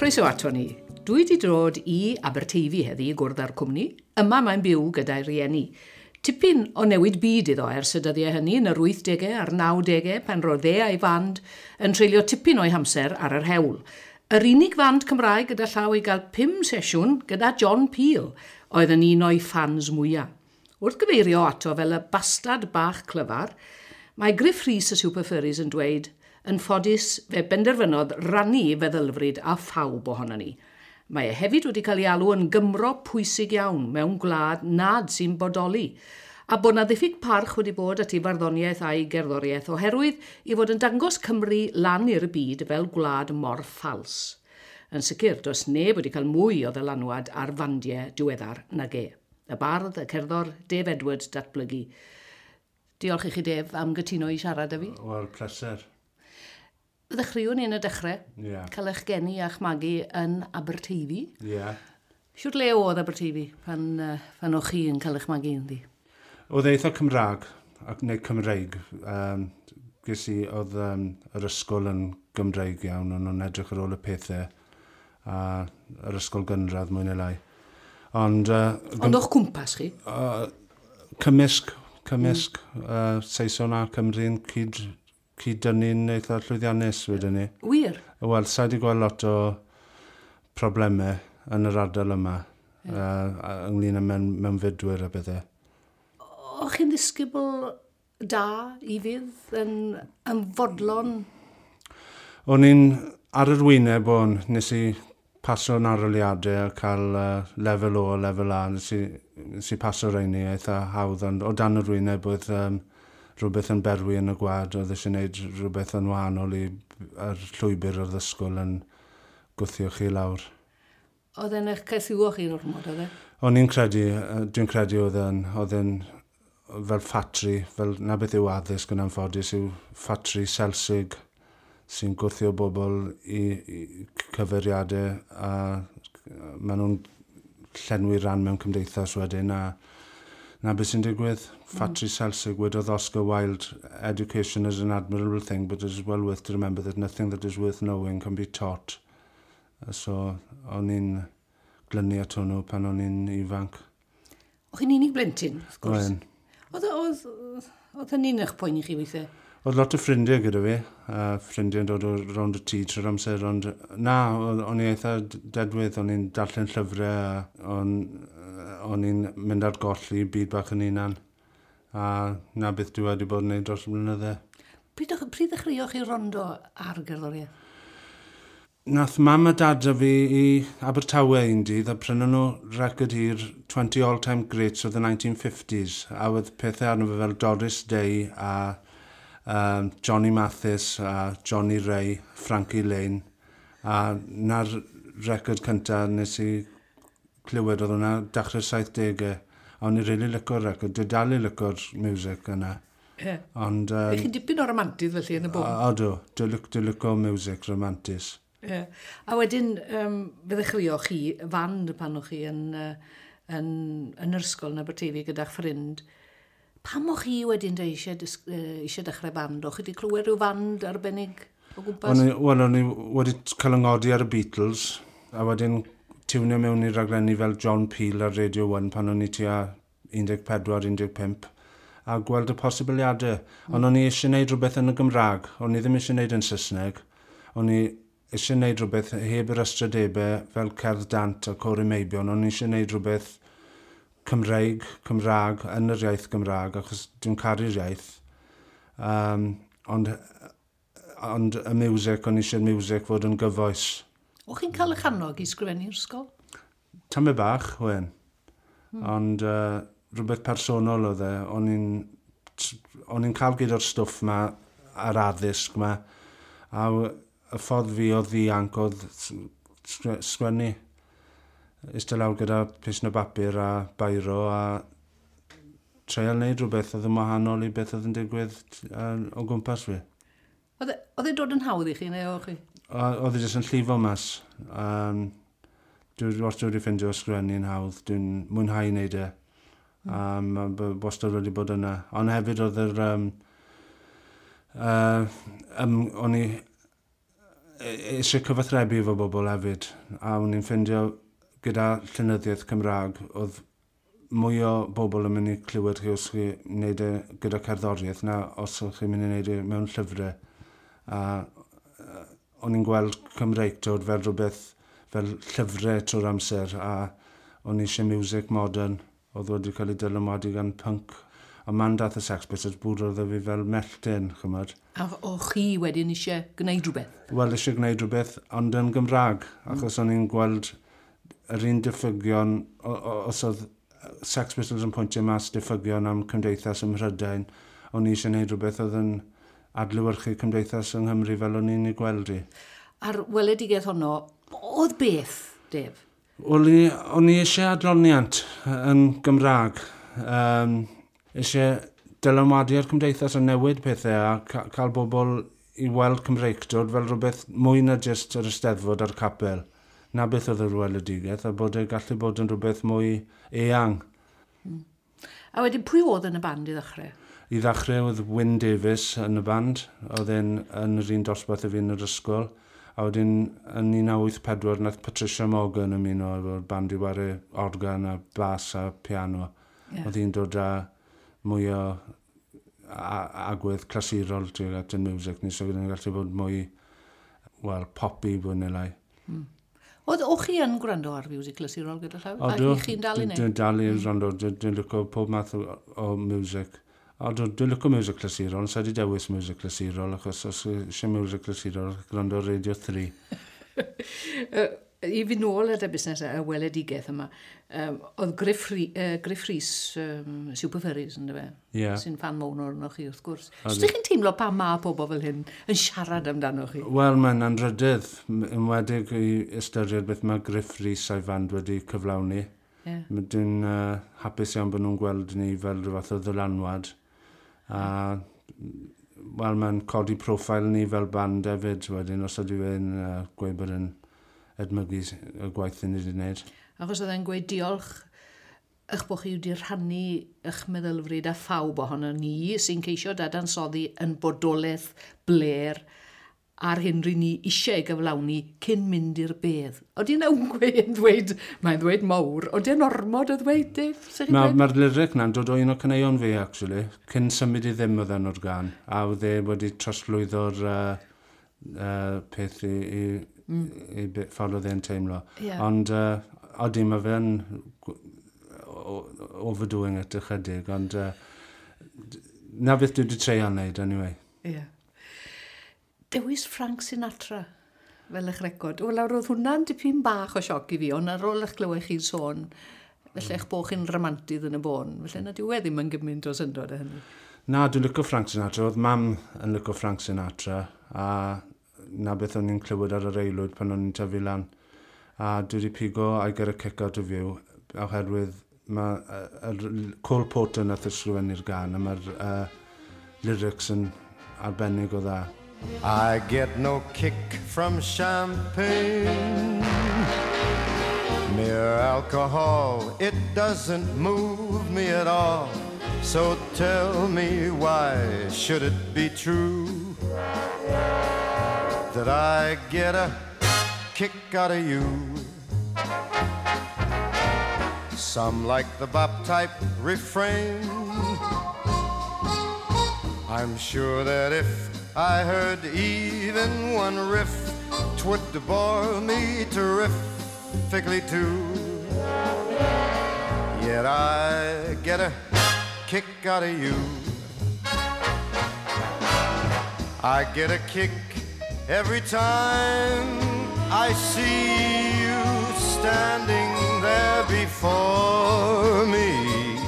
Croeso ato ni. Dwi wedi dod i Aberteifi heddi i gwrdd â'r cwmni. Yma mae'n byw gyda'i rieni. Tipyn o newid byd iddo ers y dyddiau hynny yn yr 80au a'r 90au pan roedd e a'i fand yn treulio tipyn o'i hamser ar yr hewl. Yr unig fand Cymraeg gyda llaw i gael 5 sesiwn gyda John Peel oedd yn un o'i ffans mwyaf. Wrth gyfeirio ato fel y bastad bach clyfar, mae Gruff Rhys y Super Furries yn dweud yn ffodus fe benderfynodd rannu feddylfryd a phawb ohono ni. Mae e hefyd wedi cael ei alw yn Gymro pwysig iawn mewn gwlad nad sy'n bodoli, a bod na ddiffyg parch wedi bod at ei farddoniaeth a'i gerddoriaeth oherwydd i fod yn dangos Cymru lan i'r byd fel gwlad mor ffals. Yn sicr, does neb wedi cael mwy o ddylanwad ar fandiau diweddar nag e. Y bardd, y cerddor, Dave Edwards, Datblygu. Diolch i chi, Dave, am gytuno i siarad â fi. Wel, pleser. Ddechreuwn ni yn y dechrau. Yeah. Cael eich geni a'ch magu yn Aberteifi. Ie. Yeah. Siwr le oedd Aberteifi pan o'ch chi yn cael eich magu ynddi? Oedd eitha Cymraeg, ac neu Cymreig. Ges i, oedd yr ysgol yn Gymreig iawn, o'n nhw'n edrych ar ôl y pethau, a yr ysgol gynradd mwy neu lai. Ond o'ch cwmpas chi? Cymysg. Saeson a Cymru'n cyd-dynnu'n eitha llwyddiannus wedyn ni. Wir? Wel, sa i wedi gweld lot o problemau yn yr ardal yma, ynglyn â mewnfudwyr a bethau. O'ch chi'n ddisgybl da i fydd yn fodlon? O'n i'n ar yr wyneb o'n, nes i paso'n arholiadau a cael lefel O a lefel A, nes i paso rheini eitha hawdd, ond o dan yr wyneb oedd rhywbeth yn berwi yn y gwad, oedd eisiau gwneud rhywbeth yn wahanol i'r llwybr o'r ysgol yn gwthio chi lawr. Oedd e'n eich caethiwo chi'n ormod, oedd e? O'n i'n credu, dwi'n credu oedd e'n fel ffatri, fel na beth yw addysg yn anffodus, yw ffatri selsig sy'n gwthio bobl i cyfeiriadau a maen nhw'n llenwi rhan mewn cymdeithas wedyn a na beth sy'n digwydd. Ffatri selsig, wedodd Oscar Wilde, education is an admirable thing, but it is well worth to remember that nothing that is worth knowing can be taught. So, o'n i'n glynu at hwnnw pan o'n i'n ifanc. O'ch chi'n unig blentyn, wrth gwrs? Oedd hynny'n eich poeni chi weithiau? Oedd lot o ffrindiau gyda fi, ffrindiau yn dod o rownd y tŷ trwy'r amser, ond na, o'n i eitha dedwydd, o'n i'n darllen llyfrau, o'n i'n mynd ar goll i byd bach yn hunan, a na beth dwi wedi bod yn gwneud dros y blynydde. Pryd ddechreuoch chi rondo ar gerddoriaeth? Nath mam a dad a fi i Abertawe un dydd a prynon nhw record hir 20 All-Time Greats of the 1950s, a oedd pethau arno fe fel Doris Day a Johnny Mathis a Johnny Ray, Frankie Lane, a na'r record cyntaf nes i clywed oedd hwnna dechrau'r 70au, a o'n i rili licio'r record, dwi dal i licio'r music yna. Yeah. Ond, chi'n dipyn o romantydd felly yn y bôn? Odw, dwi'n licio music romantis. Yeah. A wedyn, fe ddechreuoch chi fand pan o'ch chi yn yr ysgol yn Aberteifi gyda'ch ffrind. Pam o'ch chi wedyn eisiau dechrau band? O'ch chi wedi clywed rhyw fand arbennig o gwmpas? Wel, o'n i wedi cael yng ngodi ar y Beatles, a wedyn tiwnio mewn i raglenni fel John Peel ar Radio 1 pan o'n i tua 14-15, a gweld y posibiliadau. Ond o'n i eisiau gwneud rhywbeth yn y Gymraeg, o'n i ddim eisiau gwneud yn Saesneg, o'n i eisiau gwneud rhywbeth heb yr ystrydebau fel Cerdd Dant a Côr y Meibion, o'n i eisiau gwneud rhywbeth Cymraeg, yn yr iaith Gymraeg, achos dwi'n caru'r iaith. Ond y music, o'n i eisiau'r music fod yn gyfoes. O'ch chi'n cael eich annog i sgrifennu'r ysgol? Tamed bach, wen. Ond rhywbeth personol oedd e. O'n i'n cael gyd o'r stwff ma, a'r addysg ma, a y ffordd fi o ddianc oedd sgwennu. Eistedd lawr gyda pisn o bapur a bairo a treial wneud rhywbeth oedd yn wahanol i beth oedd yn digwydd o gwmpas fi. Oedd e'n dod yn hawdd i chi neu o'ch chi? Oedd e jyst yn llifo mas. Dwi wastad wedi ffindio ysgrifennu'n hawdd. Dwi'n mwynhau wneud e. Wastad wedi bod yna. Ond hefyd oedd yr... o'n i eisiau cyfathrebu efo bobl hefyd, a o'n i'n ffindio gyda llenyddiaeth Cymraeg, oedd mwy o bobl yn mynd i clywed chi os chi wneud e gyda cerddoriaeth na os ydych chi'n mynd i wneud e mewn llyfrau. A o'n i'n gweld Cymreictod fel rhywbeth fel llyfrau trwy'r amser a o'n i eisiau music modern oedd wedi cael ei dylanwadu gan punk. A man dath y Sex Pistols bwrodd fi fel mellten, chymod. A o chi wedyn eisiau gwneud rhywbeth? Wel, eisiau gwneud rhywbeth, ond yn Gymraeg, achos o'n i'n gweld yr un diffygion, os oedd Sex Pistols yn pwyntio mas diffygion am cymdeithas ym Mhrydain, o'n i eisiau gwneud rhywbeth oedd yn adlewyrchu cymdeithas yng Nghymru fel o'n i'n ei gweld i. A'r weledigaeth honno, oedd beth, Dave? Wel, o'n i eisiau adloniant yn Gymraeg. Eisiau dylanwadu ar cymdeithas a newid pethau a cael bobl i weld Cymreictod fel rhywbeth mwy na jyst yr Eisteddfod a'r capel. Na beth oedd yr weledigaeth, a bod e gallu bod yn rhywbeth mwy eang. A wedyn, pwy oedd yn y band i ddechrau? I ddechrau oedd Wyn Davies yn y band, oedd e'n yn yr un dosbarth â fi yn yr ysgol. A wedyn yn 1984 nath Patricia Morgan ymuno efo'r band i ware organ a bas a piano. Oedd hi'n dod â mwy o agwedd clasurol tuag at y music ni, so gyda'n gallu bod mwy, wel, poppy fwy neu lai. Oedd o chi yn gwrando ar music clasurol gyda llaw? Odw, A chi'n dal i wneud? Dwi'n dal i wrando, dwi'n licio pob math o music. Odw, dwi'n licio music clasurol, ond sa i 'di dewis music clasurol, achos os eisiau music clasurol, gwrando ar Radio 3. I fynd nôl at y busnes y weledigaeth yma, oedd Gruff Rhys, Super Furries, yn fe? Ie. Sy'n fan mawr ohonoch chi, wrth gwrs. Os ydych chi'n teimlo pa ma pobl fel hyn yn siarad amdano chi? Wel, mae'n anrhydydd, enwedig i ystyried beth mae Gruff Rhys a'i fand wedi cyflawni. Dwi'n hapus iawn bod nhw'n gweld ni fel rhyw fath o ddylanwad. A, wel, mae'n codi profil ni fel band hefyd, wedyn, os ydy fe'n gweud bod yn edmygu y gwaith ni wedi gwneud. Achos oedd e'n gweud diolch eich bod chi wedi rhannu eich meddylfryd â phawb ohono ni sy'n ceisio dadansoddi yn bodolaeth bler a'r hyn ry'n ni eisiau gyflawni cyn mynd i'r bedd. Oeddi yna'n gweud, mae'n ddweud mawr, oeddi yn ormod o ddweud, Dave? Sut chi'n Mae'r dweud? Ma lyric na'n dod o un o caneuon fi, actually. Cyn symud i ddim oedd enw'r gan. A oedd e wedi trosglwyddo'r peth i ffordd oedd e'n teimlo. Ond odi, mae fe'n overdoing it ychydig, ond na beth dwi wedi treial wneud, anyway. Ie. Dewis Frank Sinatra fel eich record. Wel, awr oedd hwnna'n dipyn bach o sioc i fi, ond ar ôl eich glywed chi'n sôn, felly eich bod chi'n ramantydd yn y bôn. Felly na dyw e ddim yn gymaint o syndod â hynny. Na, dwi'n licio Frank Sinatra. Oedd mam yn licio Frank Sinatra, a na beth o'n i'n clywed ar yr aelwyd pan o'n i'n tyfu lan. A dwi wedi pigo I Get a Kick Out of You, oherwydd mae Cole Porter nath ysgrifennu'r gan, a mae'r lyrics yn arbennig o dda. I get no kick from champagne. Mere alcohol, it doesn't move me at all. So tell me, why should it be true that I get a kick out of you? Some like the bop type refrain. I'm sure that if I heard even one riff, 'twould bore me terrifically too. Yet I get a kick out of you. I get a kick every time I see you standing there before me.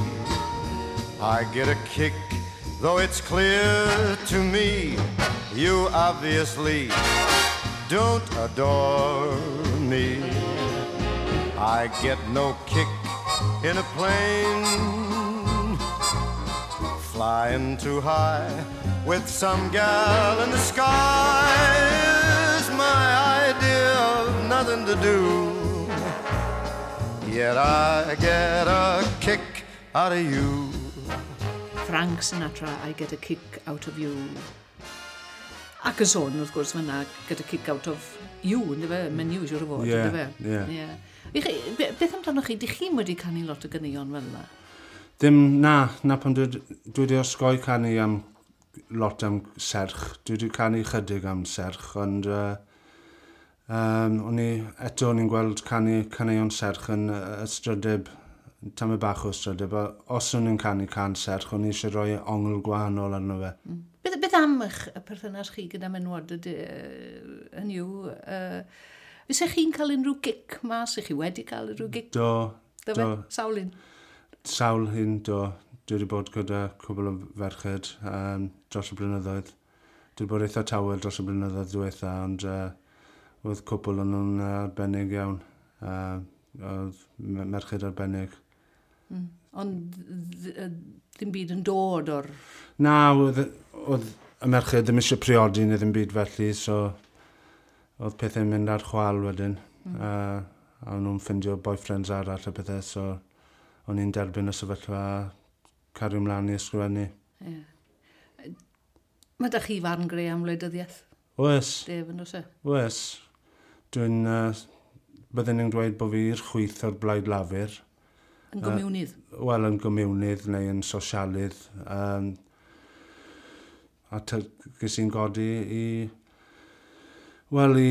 I get a kick, though it's clear to me you obviously don't adore me. I get no kick in a plane flying too high with some gal in the sky is my idea of nothing to do. Yet I get a kick out of you. Frank Sinatra, I Get a Kick Out of You. Ac y sôn, wrth gwrs, fyna gyda kick out of you, ynddo fe? Menyw, siwr o fod, ynddo fe? Ie. Yeah. Beth amdanoch chi? Dych chi'n wedi canu lot o ganeuon fel yna? Ddim, na pan dwi wedi osgoi canu am lot am serch. Dwi wedi canu chydig am serch, ond o'n i, eto o'n i'n gweld canu caneuon serch yn ystrydeb, tamed bach o ystrydeb, a os o'n i'n canu can serch, o'n i eisiau rhoi ongl gwahanol arno fe. Mm. Beth am eich perthynas chi gyda menwod hynny yw, fyse chi'n cael unrhyw gic mas? Ych chi wedi cael unrhyw gic? Do. Do. Fe? Sawl un? Sawl un, do. Dwi wedi bod gyda cwbl o ferched dros y blynyddoedd. Dwi wedi bod eitha tawel dros y blynyddoedd diwetha, ond oedd cwbl o'n nhw'n arbennig iawn. Oedd merched arbennig. Mm. Ond ddim byd yn dod o'r... Na, oedd y merched ddim eisiau priodi neu ddim byd felly, so oedd pethau'n mynd ar chwal wedyn. Mm. A o'n nhw'n ffindio boyfriends arall a pethau, so o'n i'n derbyn y sefyllfa a cario ymlaen i ysgrifennu. Yeah. Mae da chi farn greu am wleidyddiaeth? Oes. Dave, yn oes e? Oes. Dwi'n... Bydden ni'n dweud bod fi i'r chwith o'r Blaid Lafur. Yn gomiwnydd? Wel, yn gomiwnydd neu yn sosialydd. A ges i'n godi i... Wel, i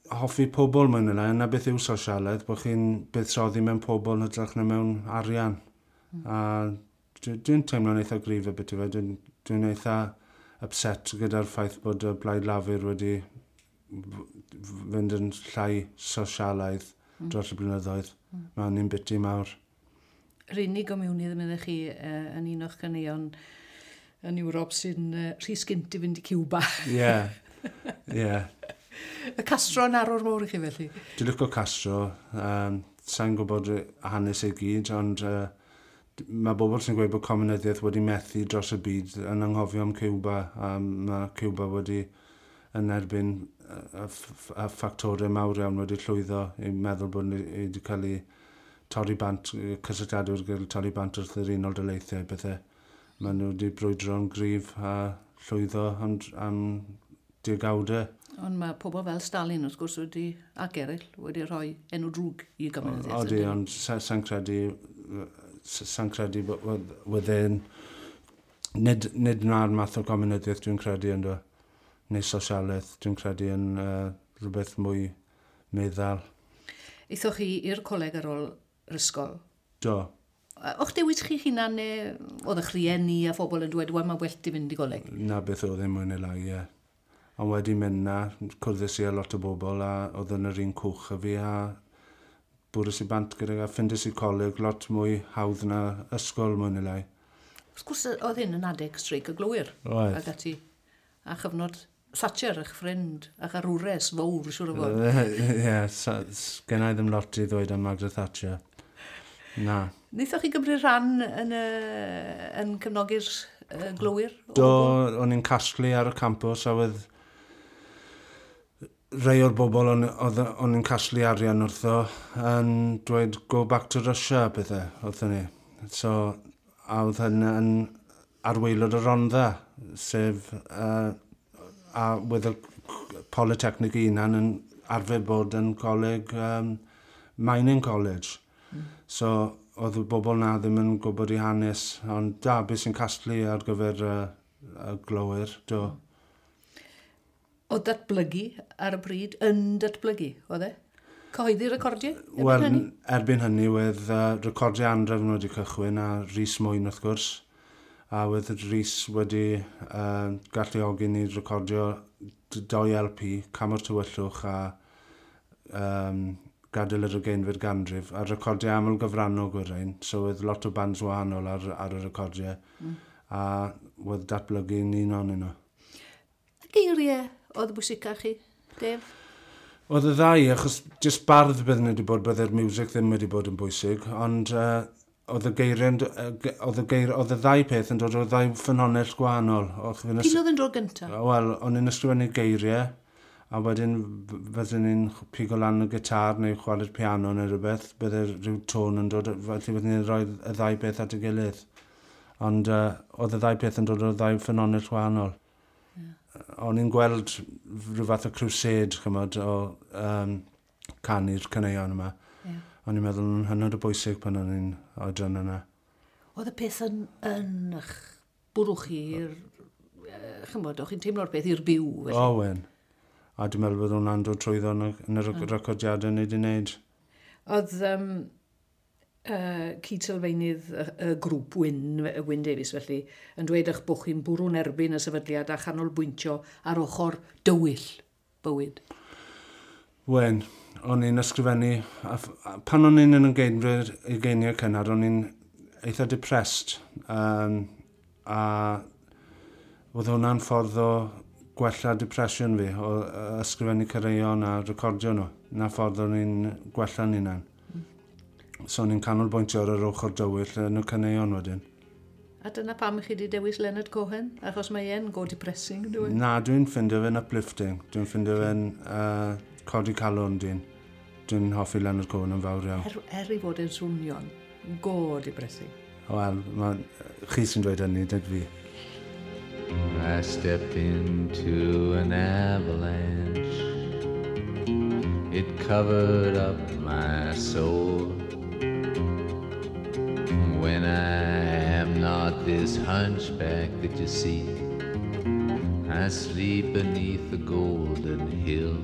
hoffi pobl mewn yna. Yna beth yw sosialedd, bod chi'n buddsoddi mewn pobl yn hytrach na mewn arian. Mm. A dwi'n teimlo'n eitha gryf y beth i fe. Dwi'n eitha upset gyda'r ffaith bod y Blaid Lafur wedi fynd yn llai sosialaidd dros y blynyddoedd. Mm. Mae'n un biti mawr. Yr unig gomiwnydd yn mynd chi yn un o'ch caneuon yn Ewrop sy'n rhy sgint i fynd i Cuba. Ie, ie. Y Castro yn arwr mawr i chi felly? Dwi'n licio Castro. Sa'n gwybod hanes ei gyd, ond mae bobl sy'n gweud bod comunyddiaeth wedi methu dros y byd yn anghofio am Cuba, a mae Cuba wedi yn erbyn y ffactorau mawr iawn wedi llwyddo i meddwl bod wedi cael ei torri bant, cysylltiadau wedi cael ei torri bant wrth yr Unol Daleithiau, bethau. Maen nhw wedi brwydro'n gryf a llwyddo am degawdau. Ond mae pobl fel Stalin, wrth gwrs, wedi, ac eraill, wedi rhoi enw drwg i gomunyddiaeth. Odi, ond sa'n credu wydden, nid na'r math o gomunyddiaeth dwi'n credu ynddo, neu sosialaeth, dwi'n credu yn rhywbeth mwy meddal. Aethoch chi i'r coleg ar ôl yr ysgol? Do. O'ch dewis chi hunan neu oedd eich rhieni a phobl yn dweud, wel, mae well di fynd i goleg? Na beth oedd e mwy neu lai, ie. Ond wedi mynd na, cwrddais i â lot o bobl a oedd yn yr un cwch a fi a bwrws i bant gyda a ffindes i coleg lot mwy hawdd na ysgol mwy neu lai. Wrth gwrs oedd hyn yn adeg streic y glowyr. Oedd. Ac ati. A chyfnod Thatcher, eich ffrind, a'ch arwres fawr, siŵr o fod. Ie, gen i ddim lot i ddweud am Margaret Thatcher. Na. Wnaethoch chi gymryd rhan yn cefnogi'r glowyr? Do, o'n i'n casglu ar y campws a oedd rhai o'r bobl o'n i'n casglu arian wrtho yn dweud go back to Russia pethau wrthon ni. So, a oedd hyn yn arwaelod y Rhondda, sef a oedd y Polytechnic hunan yn arfer bod yn coleg, mining college. Mm. So, oedd y bobl na ddim yn gwybod i hanes, ond da, beth sy'n casglu ar gyfer y glowyr, do. O datblygu ar y pryd, yn datblygu, oedd e? Cyhoeddi recordiau? Wel, erbyn hynny, oedd recordiau andrefn wedi cychwyn a Rhys Mwyn wrth gwrs. A oedd Rhys wedi galluogi ni recordio 2 LP, Cam o'r Tywyllwch a Gadael yr Ugeinfed Ganrif, a recordiau aml gyfrannog o'r rhain, so oedd lot o bands wahanol ar y recordiau, a oedd datblygu'n un o'n nhw. Geiriau oedd bwysica chi, Dave? Oedd y ddau, achos jyst bardd bydden wedi bod, bydde'r music ddim wedi bod yn bwysig, ond oedd y geiriau, oedd y ddau peth yn dod o'r ddau ffynhonnell gwahanol. P'un oedd yn dod gyntaf? Wel, o'n i'n ysgrifennu geiriau, a wedyn fydden ni'n pigo lan y gitar neu chwarae'r piano neu rhywbeth, bydde rhyw tôn yn dod, felly fydden ni'n rhoi y ddau beth at ei gilydd. Ond oedd y ddau peth yn dod o'r ddau ffynhonnell wahanol. Yeah. O'n i'n gweld rhyw fath o crusade, chymod, o canu'r caneuon yma. Yeah. O'n i'n meddwl yn hynod o bwysig pan o'n i'n oedran yna. Oedd y peth yn eich bwrw chi i'r... Chymod, o'ch chi'n teimlo'r peth i'r byw, felly? O, wen. A dwi'n meddwl bod hwnna'n dod trwyddo yn y recordiadau ni wedi wneud. Oedd cyd-sylfaenydd y grŵp Wyn Davies felly, yn dweud eich bod chi'n bwrw'n erbyn y sefydliad a chanolbwyntio ar ochr dywyll bywyd. Wen, o'n i'n ysgrifennu, a pan o'n i'n yn ugeiniau cynnar, o'n i'n eitha depressed. A oedd hwnna'n ffordd o gwella depression fi, o ysgrifennu caneuon a recordio nhw. Na ffordd o'n i'n gwella'n hunan. So o'n i'n canolbwyntio ar yr ochr dywyll yn y caneuon wedyn. A dyna pam chi wedi dewis Leonard Cohen? Achos mae e'n go depressing, dwi'n? Na, dwi'n ffindio fe'n uplifting. Dwi'n ffindio fe'n codi calon dyn. Dwi'n hoffi Leonard Cohen yn fawr iawn. Er i fod yn swnio'n go depressing. Wel, chi sy'n dweud hynny, dyd fi. I stepped into an avalanche. It covered up my soul. When I am not this hunchback that you see, I sleep beneath the golden hill.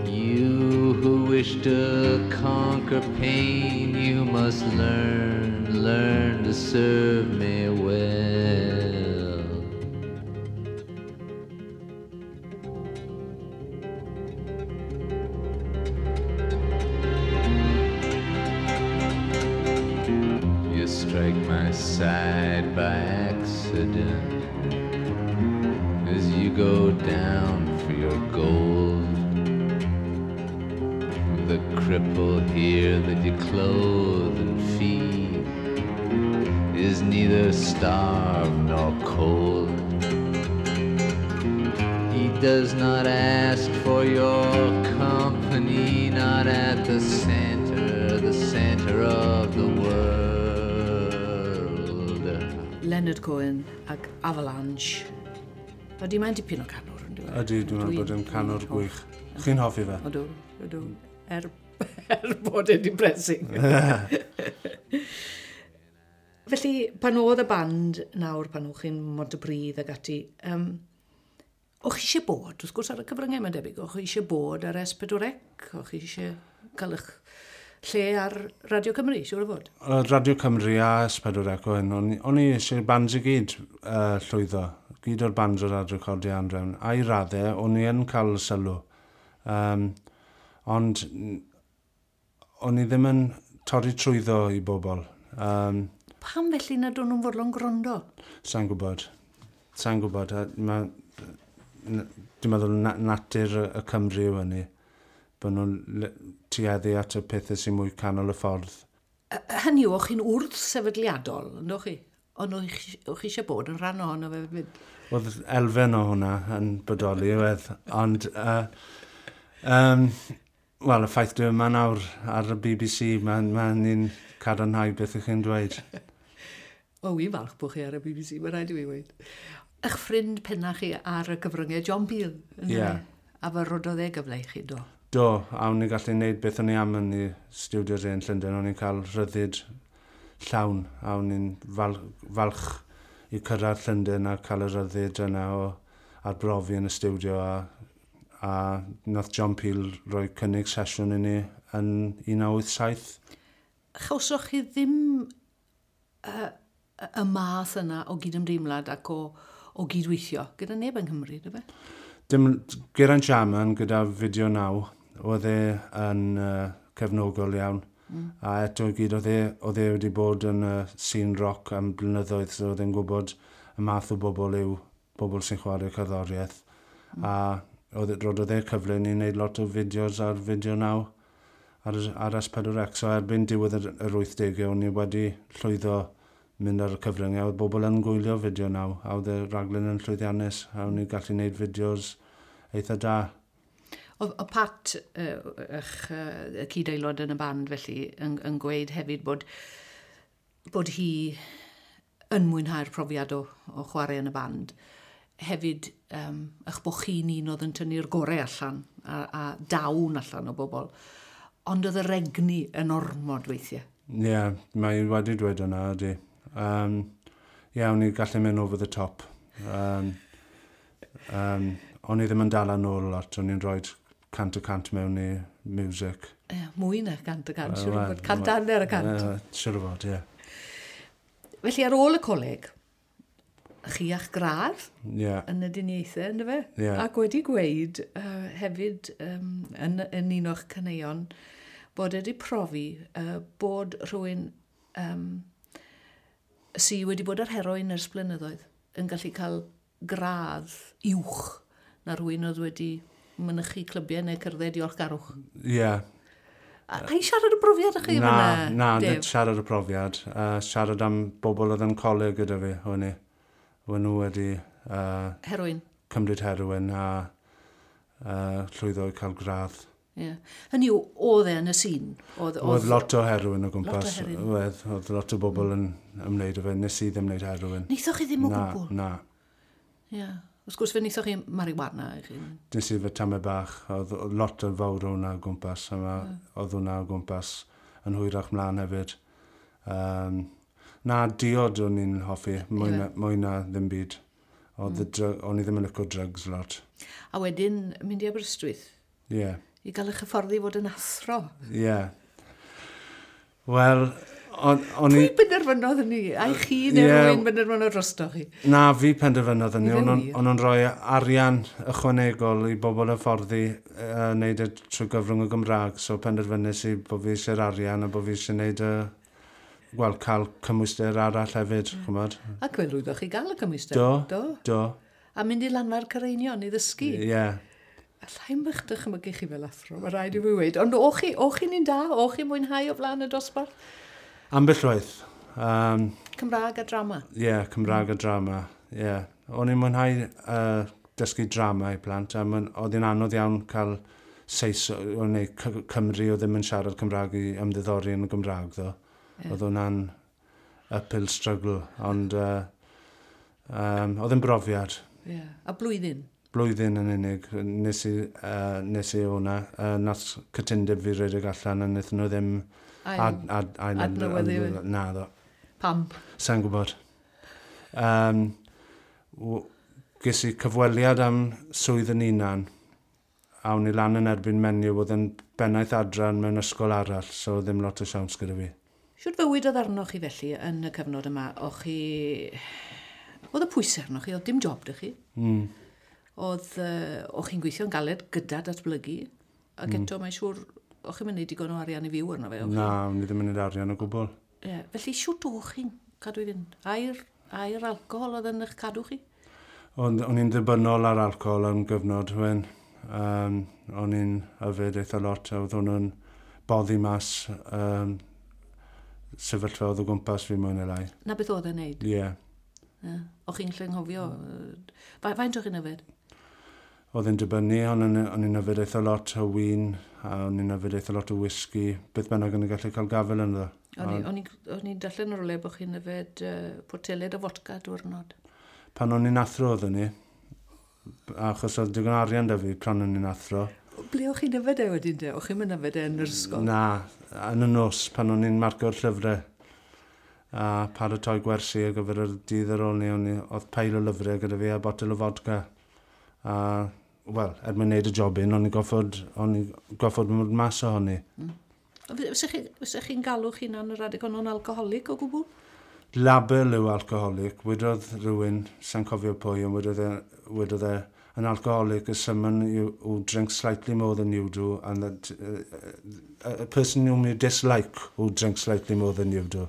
You who wish to conquer pain, you must learn to serve me well. You strike my side by accident as you go down for your gold. The cripple here that you clothe and feed is neither starved nor cold. He does not ask for your company, not at the center of the world. Leonard Cohen ac Avalanche. Ydy, mae'n dipyn o canwr, yn dweud? Ydy, dwi'n meddwl bod yn canwr gwych. Chi'n hoffi fe? Ydw, ydw. Er bod e'n depressing. Felly, pan oedd y band nawr, pan o'ch chi'n Montypridd ag ati, o'ch chi eisiau bod, wrth gwrs ar y cyfryngau mae'n debyg, o'ch chi eisiau bod ar S4C, o'ch chi eisiau cael eich lle ar Radio Cymru, siŵr o fod? Radio Cymru a S4C o hyn, o'n i eisiau bands i gyd llwyddo, gyd o'r bands o'r ar recordiau Anhrefn, a i raddau, o'n i yn cael sylw. Ond o'n i ddim yn torri trwyddo i bobl. Pam felly nad o'n nhw'n fodlon gwrando? Sa'n gwybod. Sa'n gwybod. Dwi'n meddwl natur y Cymru yw hynny. Bod nhw'n tueddu at y pethau sy'n mwy canol y ffordd. Hynny yw, o'ch chi'n wrth sefydliadol, ynddo chi? Ond o'ch chi eisiau bod yn rhan ohono fe hefyd? Oedd elfen o hwnna yn bodoli, oedd. Ond, wel, y ffaith dwi yma nawr ar y BBC, mae'n ni'n cadarnhau beth ych chi'n dweud. O, wi'n falch bod chi ar y BBC, mae rhaid i fi weud. Eich ffrind penna chi ar y cyfryngau, John Peel. Ie. Yeah. A fe rododd e gyfle i chi, do? Do, a o'n i'n gallu gwneud beth o'n i am yn y studios yn Llundain, o'n i'n cael rhyddid llawn, a o'n i'n falch i cyrraedd Llundain a cael y rhyddid yna o arbrofi yn y studio, a nath John Peel roi cynnig sesiwn i ni yn 1987. Chawsoch chi ddim y math yna o gydymdeimlad ac o gydweithio gyda neb yng Nghymru, dy fe? Dim, Geraint Jarman gyda Fideo 9, oedd e yn cefnogol iawn. A eto i gyd, oedd e wedi bod yn scene rock am blynyddoedd, so oedd e'n gwybod y math o bobl yw bobl sy'n chwarae cerddoriaeth. A roedd e cyfle i ni wneud lot o fideos ar Fideo 9 ar S4C. So erbyn diwedd yr 80au, o'n i wedi llwyddo mynd ar y cyfryngau. Oedd bobl yn gwylio Fideo 9, a oedd y raglen yn llwyddiannus, a o'n i'n gallu gwneud fideos eitha da. Oedd Pat, eich cyd-aelod yn y band felly, yn gweud hefyd bod hi yn mwynhau'r profiad o chwarae yn y band, hefyd eich bod chi'n un oedd yn tynnu'r gorau allan a dawn allan o bobl. Ond oedd yr egni yn ormod weithiau. Ie, yeah, mae wedi dweud hwnna, ydy. Ie, o'n i gallu mynd over the top. O'n i ddim yn dala nôl lot, o'n i'n rhoi 100% mewn i music. Ie, mwy na 100%, siŵr o fod. 150%. Siŵr o fod, ie. Felly ar ôl y coleg, chi a'ch gradd yn y dyniaethau, ynddo fe? Yeah. Ac wedi gweud hefyd yn un o'ch caneuon bod wedi profi bod rhywun sy wedi bod ar heroin ers blynyddoedd yn gallu cael gradd uwch na rhywun oedd wedi mynychu clybiau neu cerdded diolchgarwch. Ie. Yeah. A i siarad y brofiad â chi na, na, nid siarad y profiad. Siarad am bobl oedd yn coleg gyda fi, o'n i. O'n nhw wedi heroin. Cymryd heroin a llwyddo i cael gradd. Ie. Yeah. Hynny yw, oedd e yn y sîn? Oedd lot o heroin o gwmpas. Lot o heroin. Oedd lot o bobl yn ymwneud â fe. Nes i ddim wneud heroin. Neithoch chi ddim o gwbl? Na. Ie. Yeah. Wrth gwrs, fe wnaethoch chi marijuana i chi. Nes i fe tamau bach. Oedd lot o fawr o hwnna o gwmpas. Oedd hwnna o gwmpas yn hwyrach mlaen hefyd. Na, diod o'n i'n hoffi, mwy na ddim byd. O'n i ddim yn licio drugs lot. A wedyn mynd i Aberystwyth? Ie. Yeah. I gael eich hyfforddi fod yn athro? Ie. Yeah. Wel, o'n i... Pwy benderfynodd hynny? Ai chi neu rhywun benderfynodd drosto chi? Na, fi penderfynodd hynny. O'n nhw'n rhoi arian ychwanegol i bobl hyfforddi wneud e trwy gyfrwng y Gymraeg. So penderfynnes i bod fi eisiau'r arian a bod fi eisiau wneud y... Wel, cael cymwyster arall hefyd, ch'mod. Ac fe lwyddoch chi gael y cymwyster? Do, do. A mynd i Lanfair Caereinion i ddysgu? Ie. Yeah. Allai'm eich dychmygu chi fel athro, mae rhaid i fi weud. Ond o'ch chi'n un da? O'ch chi'n mwynhau o flaen y dosbarth? Ambell waith. Cymraeg a drama? Ie, yeah, Cymraeg a drama, ie. Yeah. O'n i'n mwynhau dysgu drama i plant, a oedd hi'n anodd iawn cael Seis, neu Cymru o ddim yn siarad Cymraeg i ymddiddori yn y Gymraeg, ddo. Yeah. Oedd hwnna'n uphill struggle, ond oedd yn brofiad. Yeah. A blwyddyn? Blwyddyn yn unig, nes i hwnna. Nath cytundeb fi redeg allan a wnaethon nhw ddim adnewyddu. Na, ddo. Pam? Sa'n gwybod. Ges i cyfweliad am swydd yn unan, a o'n i lan yn erbyn menyw oedd yn bennaeth adran mewn ysgol arall, so ddim lot o siawns gyda fi. Shwt fywyd oedd arnoch chi felly yn y cyfnod yma? O'ch chi... Oedd y pwysau arnoch chi, oedd dim job 'da chi. Mm. Oedd, o'ch chi'n gweithio'n galed gyda datblygu, ac eto mae'n siŵr, o'ch chi'n mynd digon o arian i fyw arno fe? Na, o'n i ddim yn mynd arian o gwbl. Ie, felly shwt o'ch chi'n cadw i fynd? A'r alcohol oedd yn eich cadw chi? O'n i'n ddibynnol ar alcohol am gyfnod, wen. O'n i'n yfed eitha lot, a oedd hwnnw'n boddi mas sefyllfa oedd o gwmpas fi mwy neu lai. Na beth oedd e'n neud? Ie. Yeah. Yeah. O'ch chi'n llynghofio? Faint o'ch chi'n yfed? Oedd e'n dibynnu, o'n i'n yfed eitha lot o win, a o'n i'n yfed eitha lot o whisky, beth bynnag o'n i'n gallu cael gafel ynddo. O'n i'n darllen ar rywle bod chi'n yfed poteled o fodca diwrnod. Pan o'n i'n athro oeddwn i, achos oedd digon arian da fi pan o'n i'n athro. Ble o'ch chi'n yfed e wedyn de? O'ch chi'n mynd yfed e yn yr ysgol? Na, yn y nos pan o'n i'n marcio'r llyfrau a paratoi gwersi ar gyfer y dydd ar ôl ni, oedd peil o lyfrau gyda fi a botel o fodca. A, wel, er mwyn wneud y jobyn, o'n i goffod mynd mas ohoni. Mm. Fysa chi'n galw chi'n hunan yr adeg honno'n alcoholic o gwbl? Label yw alcoholic. Wedodd rhywun, sa'n cofio pwy, ond wedodd e, an alcoholic is someone who drinks slightly more than you do, and that a person whom you dislike who drinks slightly more than you do.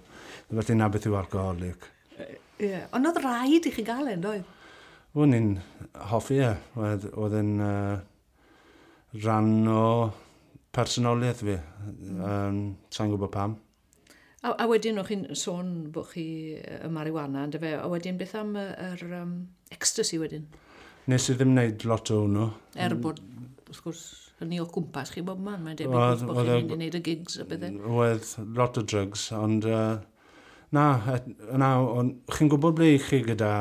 Felly na beth yw alcoholic. Ie, yeah. Ond oedd rhaid i chi gael e'n doedd? O'n i'n hoffi e. Oedd yn rhan o personoliaeth fi. Sa'n gwybod pam. A wedyn o'ch chi'n sôn bod chi y marijuana, yndyfe? A wedyn beth am yr ecstasy wedyn? Nes i ddim wneud lot o hwnnw. Er bod, wrth gwrs, hynny o gwmpas chi bob man, mae'n debyg bod chi'n mynd i wneud y gigs a bethau. Oedd lot o drugs, ond Na, na, ond chi'n gwybod ble i chi gyda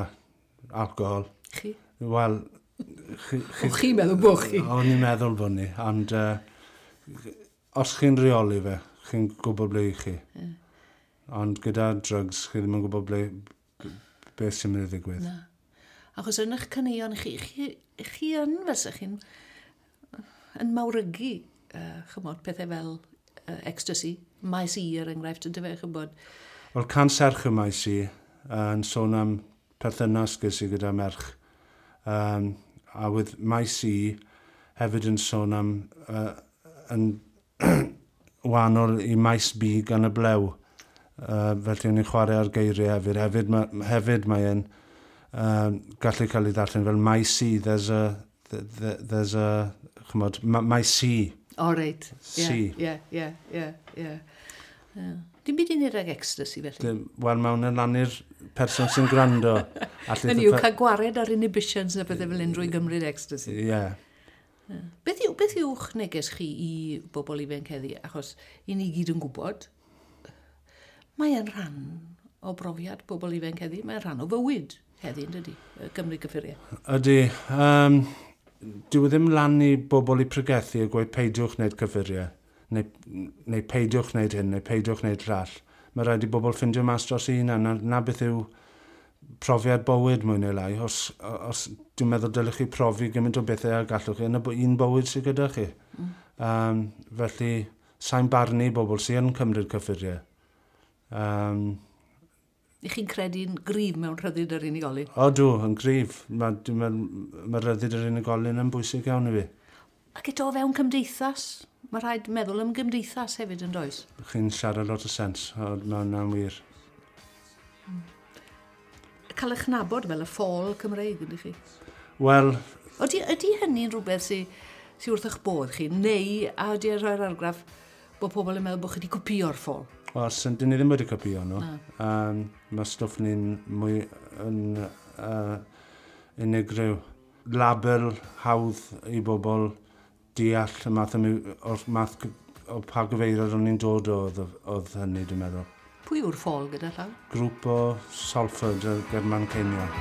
alcohol? Chi? Wel... Chi, chi'n meddwl bod chi? O'n i'n meddwl bod ni, ond os chi'n reoli fe, chi'n gwybod ble i chi. Yeah. Ond gyda drugs, chi ddim yn gwybod ble, beth sy'n mynd i ddigwydd. Na. Achos yn eich caneuon chi, chi, chi yn fysa chi'n yn mawrygu, chymod, pethau fel ecstasy, maes i er enghraifft, yn dyfe, chymod. Wel, can serch y maes i, yn sôn am perthynas ges i gyda merch. A with maes i hefyd yn sôn am yn wahanol i maes B gan y blew. Felly o'n i'n chwarae ar geiriau hefyd. Hefyd, ma, hefyd mae'n gallu cael ei ddarllen fel maes C, there's a, there's a, chymod, maes C. O, reit. C. Ie, ie, ie, ie. Dim byd i wneud ag ecstasy felly? Wel, mae hwnna'n lan i'r person sy'n gwrando. Hynny yw, cael gwared ar inhibitions na bethau fel un drwy gymryd ecstasy. Ie. Yeah. Beth, yw, beth yw'ch neges chi i bobl ifanc heddi? Achos i ni gyd yn gwybod, mae e'n rhan o brofiad bobl ifanc heddi, mae'n rhan o fywyd heddi, yn dydy, Gymru gyffuriau. Ydy. Dyw e ddim lan i bobl i pregethu a gweud peidiwch wneud cyffuriau, neu, neu peidiwch wneud hyn, neu peidiwch wneud llall. Mae rhaid i bobl ffindio mas dros eu hunan, na, na beth yw profiad bywyd mwy neu lai. Os, os dwi'n meddwl dylech chi profi gymaint o bethau a gallwch chi yn y un bywyd sydd gyda chi. Felly, sa'n barnu bobl sydd yn cymryd cyffuriau. I chi'n credu'n gryf mewn rhyddid yr unigolyn? O, dw, yn gryf. Mae ma, ma rhyddid yr unigolyn yn bwysig iawn i fi. Ac eto o fewn cymdeithas? Mae rhaid meddwl am gymdeithas hefyd yn does? Chi'n siarad lot o sens, o, mae hwnna'n wir. Cael eich nabod fel y ffôl Cymreig, ydych chi? Wel... Ydy, ydy hynny'n rhywbeth sy'n sy wrth eich bodd chi, neu a ydy e'n rhoi'r argraff bod pobl yn meddwl bod chi wedi copio'r ffôl? Wel, dyn ni ddim wedi copio nhw. Mae stwff ni'n mwy yn unigryw. Label hawdd i bobl deall y math o, o'r math o pa gyfeiriad o'n i'n dod o oedd, oedd hynny, dwi'n meddwl. Pwy yw'r ffôl gyda llaw? Grŵp o Salford ger Manceinion.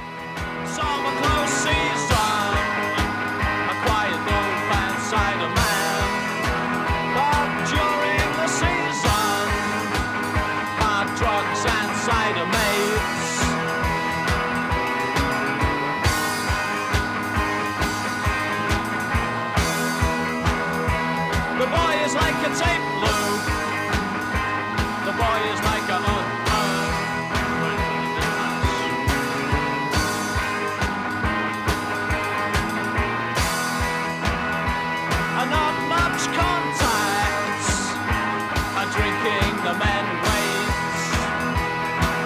Summer close season, a quiet old fan cider man. But during the season, hard drugs and cider mates. The boy is like a tape loop. The boy is like a And not much contacts. And drinking the men waits.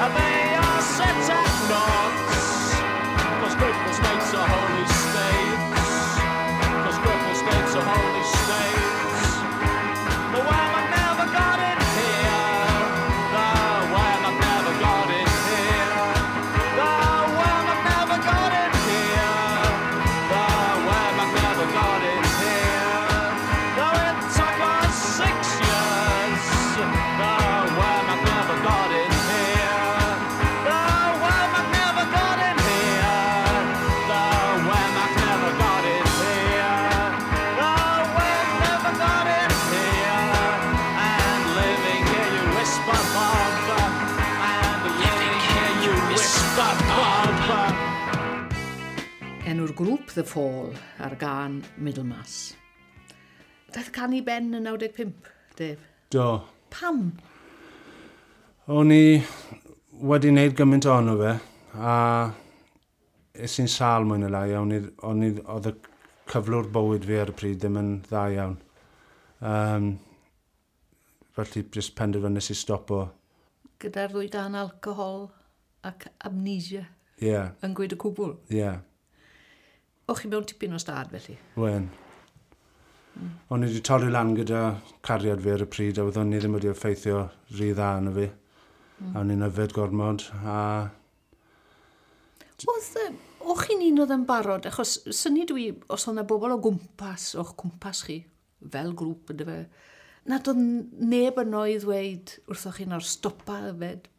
And they are set at naught. 'Cause cripple states are holy states. 'Cause cripple states are holy states. The woman never got in here. The woman never got in here. The woman never got in here. The woman never got in here. Though it took us 6 years. The woman never got in here. The woman never got in here. The woman never got in here. The woman never got in here. And living here you whisper Bob. And living here you whisper Bob. Enw'r grŵp The Fall ar gan Middlemass. Daeth can i ben yn 95, Dave. Do. Pam? O'n i wedi wneud gymaint ohono fe, a es i'n sâl mwy neu lai, a o'n i, o'n i, oedd y cyflwr bywyd fi ar y pryd ddim yn dda iawn. Felly jyst penderfynais i stopo. Gyda'r ddwy dan alcohol ac amnesia Ie, yeah, yn gweud y cwbl. ie, yeah, O'ch chi mewn tipyn o stad felly? wen. O'n i wedi torri lan gyda cariad fi ar y pryd, a oeddwn i ddim wedi effeithio rhy dda arno fi. A o'n i'n yfed gormod, a Oedd, o'ch chi'n un oedd yn barod, achos syni dwi, os oedd yna bobl o gwmpas, o'ch cwmpas chi, fel grŵp ynddo fe, nad oedd neb yno i ddweud wrthoch chi nawr stopa yfed,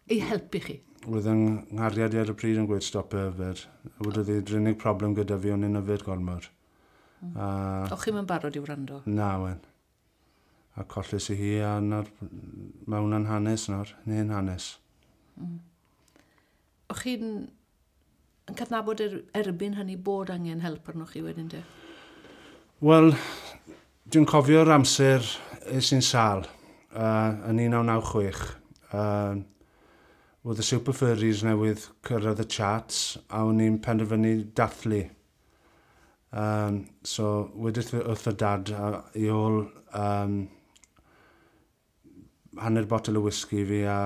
Ei helpu chi? Oedd yng nghariad i ar y pryd yn gweud stop yfed. Wedodd hi'r unig problem gyda fi o'n i'n yfed gormod. O'ch chi'm yn barod i wrando? Na, wen. A colles i hi a nawr, mae hwnna'n hanes nawr, neu'n hanes. O'ch chi'n yn cydnabod erbyn hynny bod angen help arnoch chi wedyn te? Wel, dwi'n cofio'r amser es i'n sâl yn 1996. Oedd y Super Furries newydd cyrraedd y charts a o'n i'n penderfynu dathlu. So, wedys wrth y dad i ôl hanner botel o whisky fi a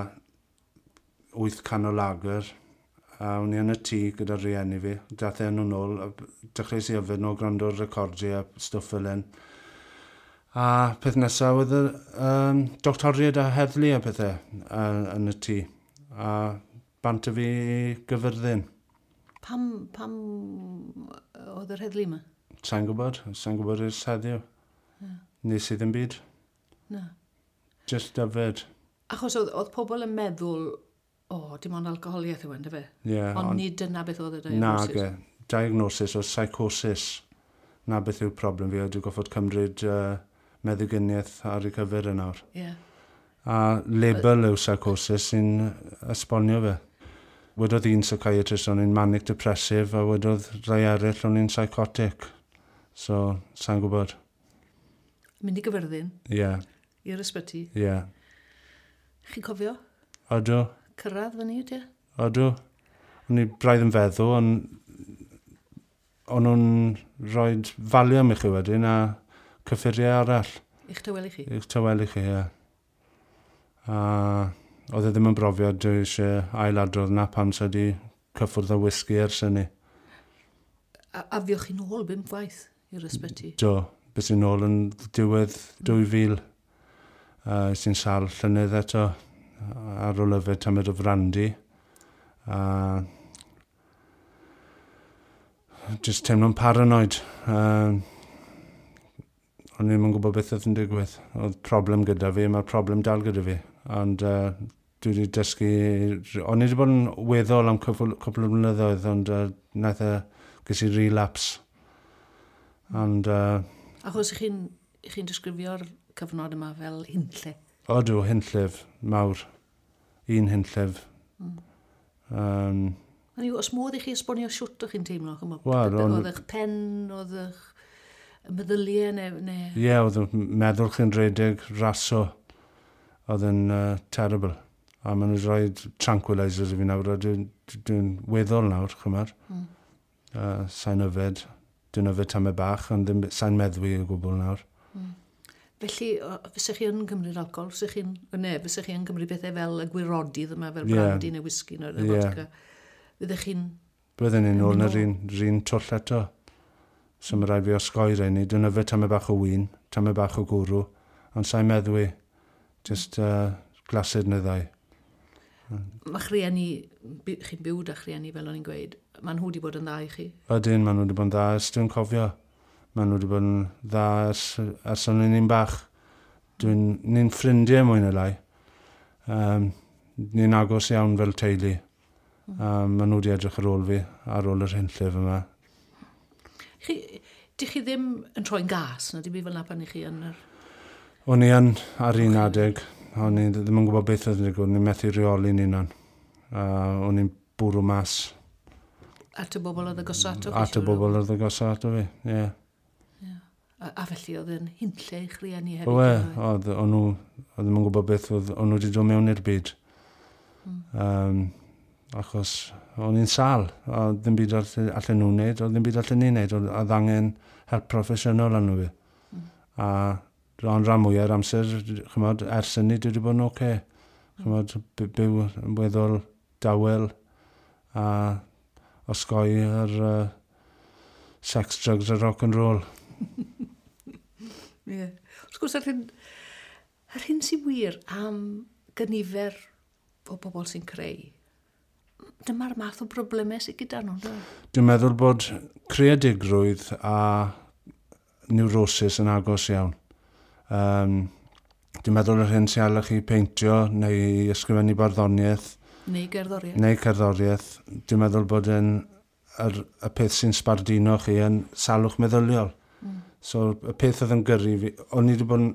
8 can o lager. A o'n i yn y tŷ gyda'r rieni fi. Dath e nhw nôl, a dechreuais i yfed nhw, gwrando'r recordiau a stwff fel hyn. A peth nesaf oedd y doctoriaid a heddlu a pethau yn y tŷ. A bant â fi i Gyfyrddin. Pam oedd yr heddlu yma? Sa'n gwybod, sa'n gwybod ers heddiw. Yeah. Nes i ddim byd. Na. Just yfed. Achos oedd pobl yn meddwl, o, dim ond alcoholiaeth yw e, yndyfe? Yeah, ond nid dyna beth oedd y diagnosis. Na, diagnosis o psychosis. Na beth yw'r problem fi, a dwi'n goffod cymryd meddyginiaeth ar ei cyfer yn nawr. Yeah. A label yw psychosis sy'n esbonio fe. Wedodd un psychiatrist o'n i'n manic depressive a wedodd rai eraill o'n i'n psychotic. So, sa'n gwybod. Mynd i Gyfyrddin? Ie. Yeah. I'r ysbyty? Ie. Yeah. Chi'n cofio? Odw. Cyrraedd fyny, ydy? Odw. O'n i braidd yn feddw, ond o'n nhw'n rhoi Valium i chi wedyn a cyffuriau arall. I'ch tawelu chi? I'ch tawelu chi, ie. A oedd e ddim yn brofiad dwi eisiau ailadrodd na pam sa di cyffwrdd â whisky ers hynny. A fuoch chi nôl 5 gwaith i'r ysbyty? Do, bys i nôl yn diwedd 2000. Es i'n sâl llynedd eto ar ôl yfed tamed o frandi. Just teimlo'n paranoid. O'n i'm yn gwybod beth oedd yn digwydd. Oedd problem gyda fi, mae'r problem dal gyda fi. Ond dwi wedi dysgu... O'n i wedi bod yn weddol am cwpl o blynyddoedd, ond nath e, ges i relapse. Ond... Achos chi'n disgrifio'r cyfnod yma fel hunlle? Odw, hunllef, mawr. Un hunllef. Mm. Oes modd i chi esbonio siwt o'ch chi'n teimlo? Wel, oedd eich pen, oedd eich meddyliau neu... Ie, yeah, oedd meddwl chi'n rhedeg raso. Oedd yn terrible. A maen nhw'n rhoi tranquilizers i fi nawr, a dwi'n weddol nawr, chymar. Mm. Sa'n yfed. Dwi'n yfed tamed bach, ond ddim, sa'n meddwi o gwbl nawr. Mm. Felly, fysech chi yn cymryd alcohol? Fysech chi'n, ne, fysech chi yn cymryd bethau fel y gwirodydd yma, fel brandy neu whisky neu vodka? Fyddech chi'n... Bydden ni'n ôl yn yr un twll eto. So mae rhaid fi osgoi rheini. Dwi'n yfed tamed bach o win, tamed bach o gwrw, ond sa'n meddwi. Just glased neu ddau. Mae rhieni, chi'n byw da rhieni fel o'n i'n gweud, maen nhw wedi bod yn dda i chi? Ydyn, maen nhw wedi bod yn dda, ers dwi'n cofio. Maen nhw wedi bod yn dda ers o'n i'n bach. Ni'n ffrindiau mwy neu lai. Ni'n agos iawn fel teulu. Maen nhw wedi edrych ar ôl fi, ar ôl yr hunllef yma. Dych chi ddim yn troi'n gas, na dim byd fel 'na pan i chi yn yr... O'n i yn ar un adeg. O'n i ddim yn gwybod beth oedd yn digwydd. O'n i'n methu reoli'n hunan. O'n i'n bwrw mas. At y bobl oedd agosa ato fi? At y bobl oedd agosa ato fi, ie. A felly oedd yn hunlle i'ch rieni hefyd? Oedd, o'n nhw ddim yn gwybod beth oedd, o'n nhw wedi dod mewn i'r byd. Achos o'n i'n sâl, a ddim byd allan nhw'n wneud, oedd ddim byd allan ni'n wneud, oedd angen help proffesiynol arno fi. A ond rhan mwyaf o'r amser, chymod, ers hynny dwi wedi bod yn oce. Chymod, byw yn weddol dawel a osgoi yr sex, drugs a rock and roll. Ie. Yeah. Wrth gwrs, yr hyn sy'n wir am gynifer o bobl sy'n creu, dyma'r math o broblemau sydd gyda nhw. Dwi'n meddwl bod creadigrwydd a neurosis yn agos iawn. Dwi'n meddwl yr hyn sy'n ala chi peintio neu ysgrifennu barddoniaeth Neu gerddoriaeth. Neu cerddoriaeth. Dwi'n meddwl bod yn y peth sy'n sbardino chi yn salwch meddyliol. So y peth oedd yn gyrru fi, o'n i wedi bod yn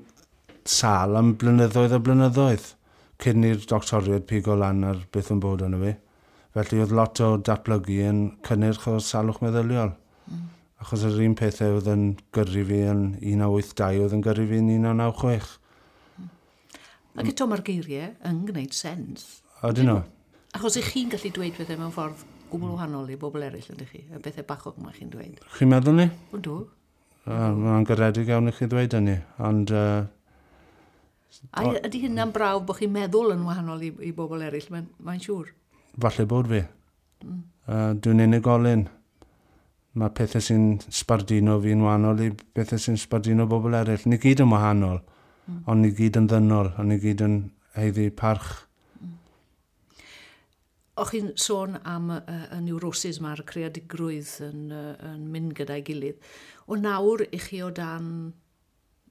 sâl am blynyddoedd a blynyddoedd cyn i'r doctoriaid pigo lan ar beth yn bod arno fi. Felly oedd lot o datblygu yn cynnyrch o salwch meddyliol. Achos yr un pethau oedd yn gyrru fi yn 1982 oedd yn gyrru fi yn 1996. Ac eto mae'r geiriau yn gwneud sens. Ydyn nhw? Achos ych chi'n gallu dweud pethau mewn ffordd gwbl wahanol i bobl eraill, ydych chi? Y bethau bachog yma chi'n dweud. Chi'n meddwl ni? Yndw. Mae'n garedig iawn i chi ddweud hynny, ond A ydy hynna'n brawf bod chi'n meddwl yn wahanol i bobl eraill, mae'n siŵr. Falle bod fi. Dwi'n unigolyn. Mae pethau sy'n sbardino fi'n wahanol i pethau sy'n sbardino bobl eraill. Ni gyd yn wahanol, ond ni gyd yn ddynol, ond ni gyd yn haeddu parch. O'ch chi'n sôn am y neurosis mae'r creadigrwydd yn mynd gyda'i gilydd. O nawr i chi o dan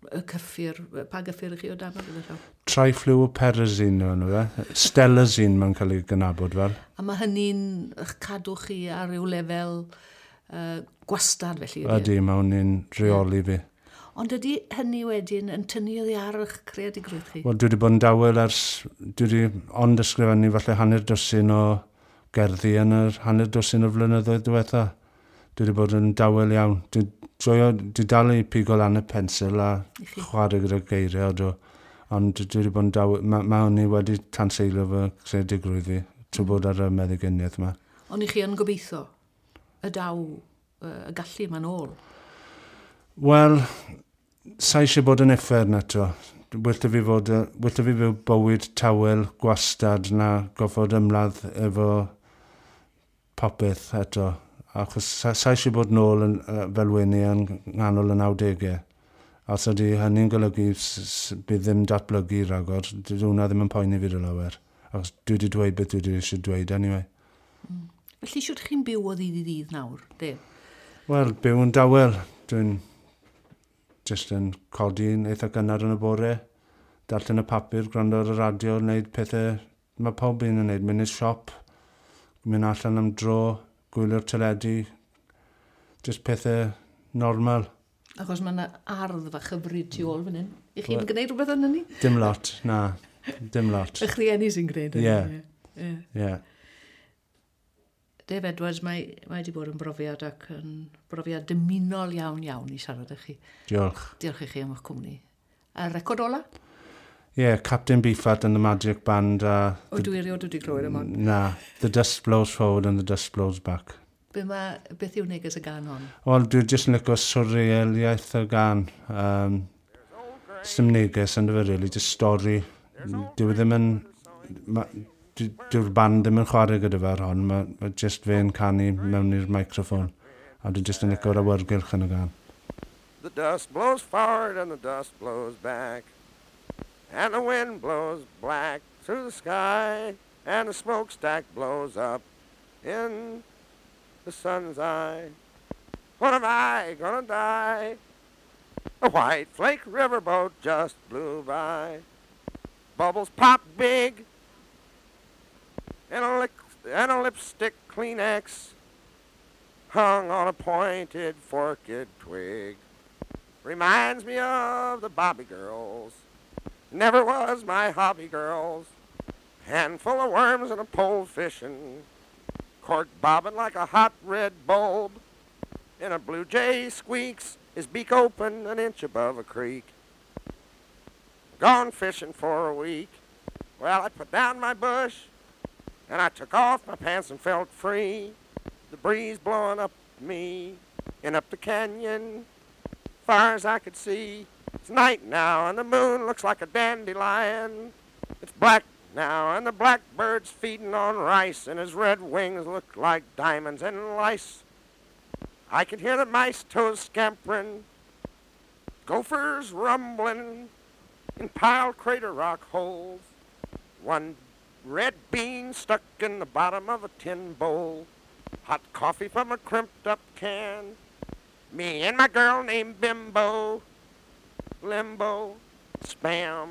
y cyffur, pa gyffur i chi o dan o gyda llaw? Trifluoperazine yw enw fe. Stelazine mae'n cael ei gynabod fel. A mae hynny'n eich cadw chi ar ryw lefel gwastad felly? Ydy, Ydy, mae hwnny'n rheoli fi. Ond ydy hynny wedyn yn tynnu oddi ar eich creadigrwydd chi? Wel, dwi wedi bod yn dawel ers... Dwi wedi ond ysgrifennu falle hanner dwsin o gerddi yn yr hanner dwsin o flynyddoedd diwetha. Dwi wedi bod yn dawel iawn. Dwi, joio, dwi dal i pigo lan y pensil a I chi? chwarae gyda geiriau, ydw. Ond dwi wedi bod yn dawel... Mae hwnni wedi tanseilio fy creadigrwydd fi trwy bod ar y meddyginiaeth yma. Ond i chi yn gobeithio y daw y gallu yma'n ôl? Wel, sa eisiau bod yn uffern eto. Well 'da fi fod, well 'da fi fyw bywyd tawel, gwastad, na goffod ymladd efo popeth eto. Achos sa eisiau bod nôl yn, fel weni yn nghanol y 90au. A os ydy hynny'n golygu bydd ddim datblygu rhagor, dydy hwnna ddim yn poeni fi rhyw lawer. Achos dwi wedi dweud beth dwi wedi eisiau dweud anyway. Felly, siwt chi'n byw o ddydd i ddydd nawr, de? Wel, byw yn dawel. Dwi'n jyst yn codi'n eitha gynnar yn y bore, darllen y papur, gwrando ar y radio, wneud pethau mae pob un yn wneud. Mynd i'r siop, mynd allan am dro, gwylio'r teledu, jyst pethau normal. Achos mae yna ardd fach hyfryd tu ôl fan hyn. I chi'n gwneud rhywbeth yn hynny? Dim lot, na, dim lot. Eich rhieni sy'n gwneud hynny? Ie. Ie. Ie. Dave Edwards, mae wedi bod yn brofiad ac yn brofiad dymunol iawn iawn i siarad â chi. Diolch. Diolch i chi am eich cwmni. A record ola? Ie, yeah, Captain Beefheart and the Magic Band a... O, dwi erioed wedi clywed am hon. Na, The Dust Blows Forward and the Dust Blows Back. Beth yw neges y gan hon? Wel, dwi jyst yn licio surrealiaeth y gan. Sdim neges yn fe, really, just stori. Dyw e ddim yn... Dyw'r band ddim yn chwarae gyda fe ar hon, mae jyst fe'n canu mewn i'r microffon. A dwi jyst yn licio'r awyrgylch yn y gan. The dust blows forward and the dust blows back, and the wind blows black through the sky, and the smokestack blows up in the sun's eye. When am I gonna die? A white flake riverboat just blew by. Bubbles pop big, and a lipstick Kleenex hung on a pointed forked twig. Reminds me of the Bobby girls. Never was my hobby, girls. Handful of worms and a pole fishing. Cork bobbing like a hot red bulb. And a blue jay squeaks, his beak open an inch above a creek. Gone fishing for a week. Well, I put down my bush, and I took off my pants and felt free. The breeze blowing up me and up the canyon, far as I could see. It's night now, and the moon looks like a dandelion. It's black now, and the blackbird's feeding on rice, and his red wings look like diamonds and lice. I can hear the mice toes scampering, gophers rumbling in piled crater rock holes. One red bean stuck in the bottom of a tin bowl. Hot coffee from a crimped up can. Me and my girl named Bimbo, Limbo, Spam.